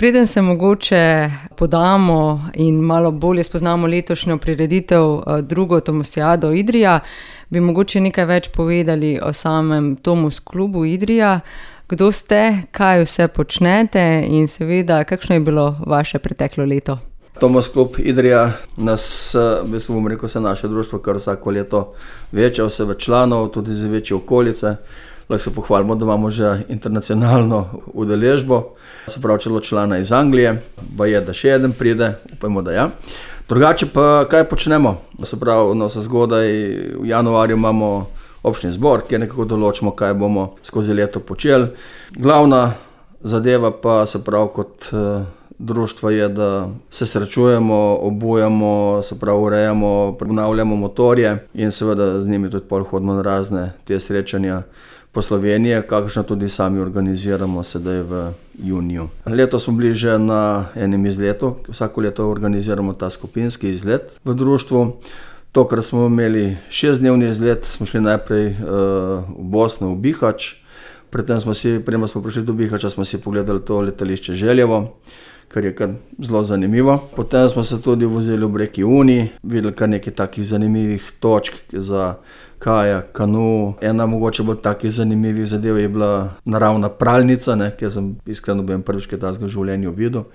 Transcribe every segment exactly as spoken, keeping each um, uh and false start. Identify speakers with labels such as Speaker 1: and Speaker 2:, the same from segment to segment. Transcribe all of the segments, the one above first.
Speaker 1: Preden se mogoče podamo in malo bolje spoznamo letošnjo prireditev, drugo Tomosijado Idrija, bi mogoče nekaj več povedali o samem Tomos klubu Idrija. Kdo ste, kaj vse počnete in seveda, kakšno je bilo vaše preteklo leto?
Speaker 2: Tomos klub Idrija nas, v bistvu bom rekel, se naše društvo, kar vsako leto večja, vse več članov, tudi za večje okolice. Lahko se pohvalimo, da imamo že internacionalno udeležbo, se pravi celo člana iz Anglije, pa je, da še eden pride, upajmo, da ja. Drugače pa, kaj počnemo? Se pravi, no, se zgodaj v januarju imamo občni zbor, kjer nekako določimo, kaj bomo skozi leto počeli. Glavna zadeva pa, se pravi, kot uh, društvo je, da se srečujemo, obujamo, se pravi, urejamo, obnavljamo motorje in seveda z njimi tudi pol hodimo na razne te srečanja po Sloveniji, kakšno tudi sami organiziramo sedaj v juniju. Letos smo bili že na enem izletu, vsako leto organiziramo ta skupinski izlet v društvu. Tokrat smo imeli šestdnevni izlet, smo šli najprej uh, v Bosno, v Bihač, predtem smo si, prema smo prišli do Bihača, smo si pogledali to letališče Željevo, kar je kar zelo zanimivo. Potem smo se tudi vozili v reki Uni, videli kar nekaj takih zanimivih točk za kajak, kanu. Ena mogoče bolj takih zanimivih zadev je bila naravna pralnica, ne, kjer sem iskreno bem prvič kaj takega v življenju videl.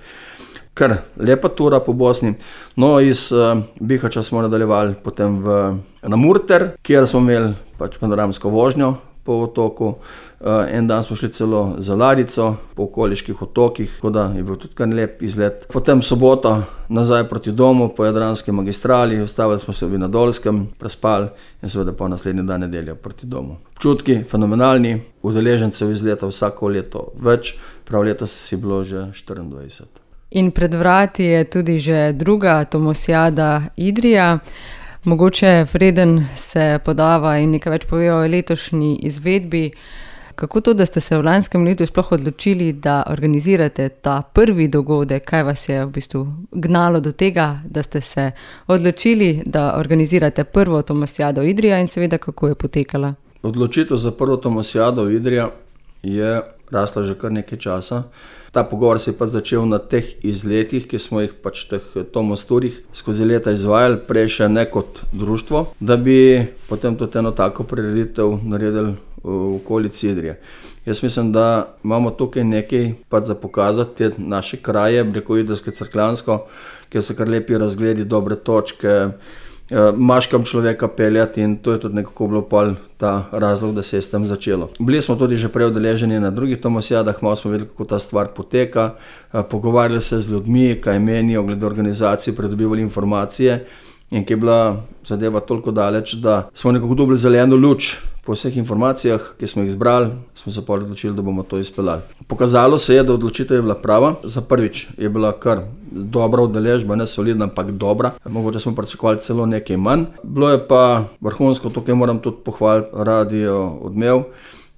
Speaker 2: Kar lepa tura po Bosni. No, iz uh, Bihača smo nadaljevali potem v, na Murter, kjer smo imeli pač panoramsko vožnjo po otoku. Uh, en dan smo šli celo za ladjico po okoliških otokih, tako da je bil tudi kar lep izlet. Potem sobota nazaj proti domu po Jadranski magistrali, ustavili smo se v Vinodolskem, prespali in seveda pa naslednji dan nedelja proti domu. Občutki fenomenalni, udeležencev izleta vsako leto več, prav letos si bilo že štiriindvajset.
Speaker 1: In pred vrati je tudi že druga Tomosijada Idrija. Mogoče preden se podava in nekaj več pove o letošnji izvedbi, kako to, da ste se v lanskem letu sploh odločili, da organizirate ta prvi dogodek, kaj vas je v bistvu gnalo do tega, da ste se odločili, da organizirate prvo Tomosijado Idrija in seveda kako je potekala?
Speaker 2: Odločitev za prvo Tomosijado Idrija je rasla že kar nekaj časa. Ta pogovor se je pa začel na teh izletih, ki smo jih pač teh Tomos turih skozi leta izvajali, prej še ne kot društvo, da bi potem tudi eno tako prireditev naredili v okolici Idrije. Jaz mislim, da imamo tukaj nekaj pač za pokazati, te naše kraje, preko Idrijsko-Cerkljansko, kjer so kar lepi razgledi, dobre točke, imaš kam človeka peljati in to je tudi nekako bilo pol ta razlog, da se je s tem začelo. Bili smo tudi že prej udeleženi na drugih Tomosijadah, malo smo videli, kako ta stvar poteka, pogovarjali se z ljudmi, kaj menijo glede organizacije, pridobivali informacije in ki je bila zadeva toliko daleč, da smo nekako dobili zeleno luč po vseh informacijah, ki smo jih zbrali, smo se pa odločili, da bomo to izpeljali. Pokazalo se je, da odločitev je bila prava. Za prvič je bila kar dobra udeležba, ne solidna, ampak dobra. Mogoče smo pričakovali celo nekaj manj. Bilo je pa vrhunsko, tukaj moram tudi pohvaliti Radio Odmev,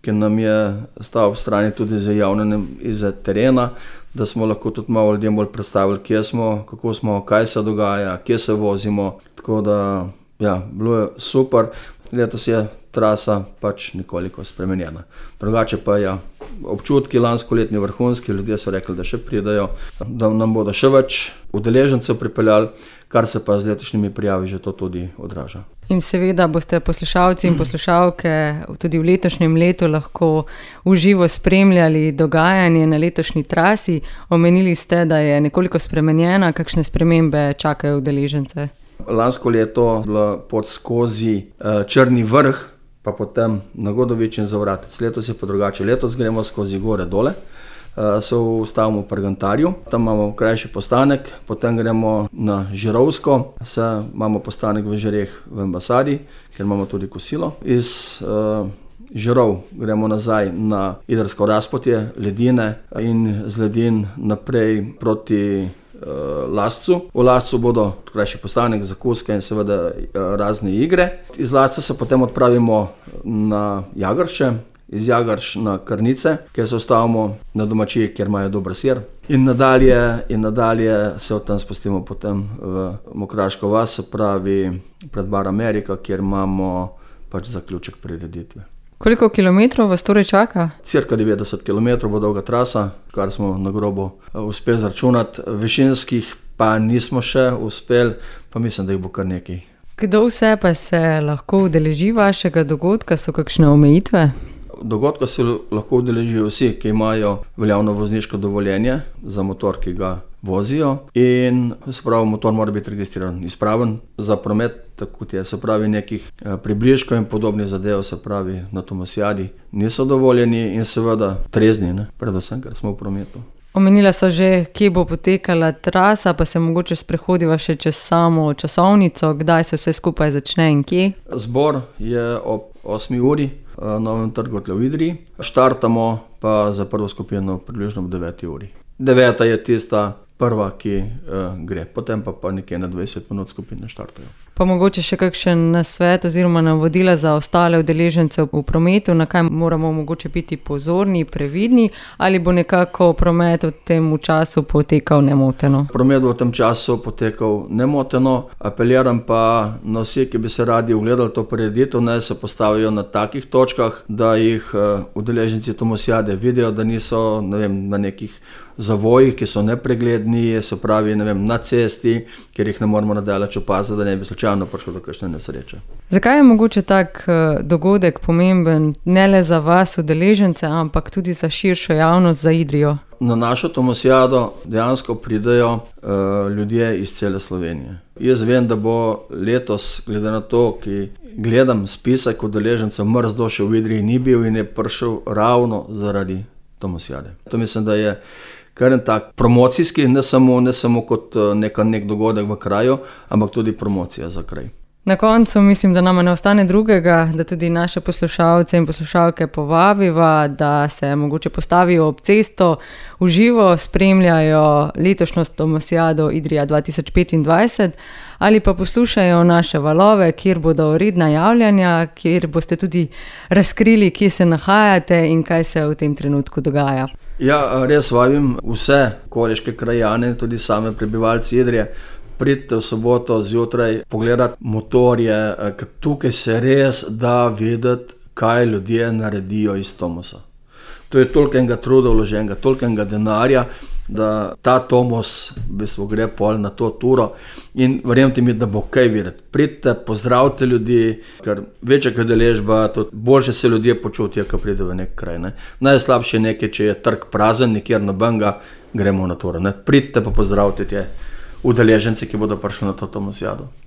Speaker 2: ki nam je stal v strani tudi za javljanjem iz terena, da smo lahko tudi malo ljudem bolj predstavili, kje smo, kako smo, kaj se dogaja, kje se vozimo. Tako da, ja, bilo je super. Letos je trasa pač nekoliko spremenjena. Drugače pa ja, občutki lanskoletni vrhunski, ljudje so rekli, da še pridajo, da nam bodo še več udeležencev pripeljali, kar se pa z letošnjimi prijavi že to tudi odraža.
Speaker 1: In seveda boste poslušalci in poslušalke tudi v letošnjem letu lahko v živo spremljali dogajanje na letošnji trasi. Omenili ste, da je nekoliko spremenjena, kakšne spremembe čakajo udeležence?
Speaker 2: Lansko leto je bila pot skozi uh, Črni vrh, pa potem na Godovič in Zavratec. Letos je pa drugače. Letos gremo skozi gore dole, uh, se ustavimo v Pergantarju, tam imamo krajši postanek, potem gremo na Žirovsko, se imamo postanek v Žireh v ambasadi, kjer imamo tudi kosilo. Iz uh, Žirov gremo nazaj na Idrijsko razpotje, ledine in z ledin naprej proti Lascu. V Lascu bodo krajši postanek, zakuske in seveda razne igre. Iz Lasca se potem odpravimo na Jagrše, iz Jagrš na Krnice, kjer se ustavimo na domačiji, kjer imajo dober sir. In nadalje, in nadalje se od tam spustimo potem v Mokraško vas, se pravi pred Bar Amerika, kjer imamo pač zaključek prireditve.
Speaker 1: Koliko kilometrov vas torej čaka?
Speaker 2: Cirka devetdeset kilometrov bo dolga trasa, kar smo na grobo uspeli zračunati. Višinskih pa nismo še uspeli, pa mislim, da jih bo kar nekaj.
Speaker 1: Kdo vse pa se lahko udeleži vašega dogodka? So kakšne omejitve?
Speaker 2: Dogodka se lahko udeležijo vsi, ki imajo veljavno vozniško dovoljenje za motor, ki ga vozijo, in se pravi, motor mora biti registriran, izpraven za promet, tako kot je, se pravi, nekih približkov in podobnih zadev, se pravi, na Tomosijadi niso dovoljeni in seveda trezni, ne, predvsem, ker smo v prometu.
Speaker 1: Omenila so že, kje bo potekala trasa, pa se mogoče sprehodiva še čez samo časovnico, kdaj se vse skupaj začne in kje?
Speaker 2: Zbor je ob osmi uri na Novem trgu v Idriji, štartamo pa za prvo skupino približno ob deveti uri. Deveta je tista prva, ki uh, gre, potem pa, pa nekje na dvajset minut skupine štartajo.
Speaker 1: Pa mogoče še kakšen nasvet oziroma navodila za ostale udeležence v prometu, na kaj moramo mogoče biti pozorni, previdni, ali bo nekako promet v tem času potekal nemoteno?
Speaker 2: Promet bo v tem času potekal nemoteno, apeliram pa na vsi, ki bi se radi ogledali to prireditev, naj se postavijo na takih točkah, da jih uh, udeleženci Tomosijade vidijo, da niso, ne vem, na nekih zavojih, ki so nepregledni, se pravi, ne vem, na cesti, kjer jih ne moramo nadaleč opaziti, da ne bi slučajno prišlo do kakšne nesreče.
Speaker 1: Zakaj je mogoče tak dogodek pomemben ne le za vas udeležence, ampak tudi za širšo javnost, za Idrijo?
Speaker 2: Na našo Tomosijado dejansko pridejo uh, ljudje iz cele Slovenije. Jaz vem, da bo letos, glede na to, ki gledam spisek udeležencev, mrzdo še v Idriji ni bil in je prišel ravno zaradi Tomosijade. To mislim, da je kar en tak promocijski, ne samo, ne samo kot neka, nek dogodek v kraju, ampak tudi promocija za kraj.
Speaker 1: Na koncu mislim, da nama ne ostane drugega, da tudi naše poslušalce in poslušalke povabiva, da se mogoče postavijo ob cesto, v živo spremljajo letošnjo Tomosijado Idrija dva tisoč petindvajset ali pa poslušajo naše valove, kjer bodo redna javljanja, kjer boste tudi razkrili, kje se nahajate in kaj se v tem trenutku dogaja.
Speaker 2: Ja, res vabim vse koriške krajane, tudi same prebivalci Idrije, pridite v soboto zjutraj pogledati motorje, ker tukaj se res da videti, kaj ljudje naredijo iz Tomosa. To je tolikega truda vloženega, tolikega denarja, da ta Tomos v bistvu gre pol na to turo in verjemite mi, da bo kaj videti. Pridite, pozdravite ljudi, ker večja kot udeležba, boljše se ljudje počutijo, ko pride v nek kraj. Ne. Najslabše je nekaj, če je trg prazen, nikjer nobenega, gremo na turo. Ne. Pridite pa pozdravite te udeležence, ki bodo prišli na to Tomosijado.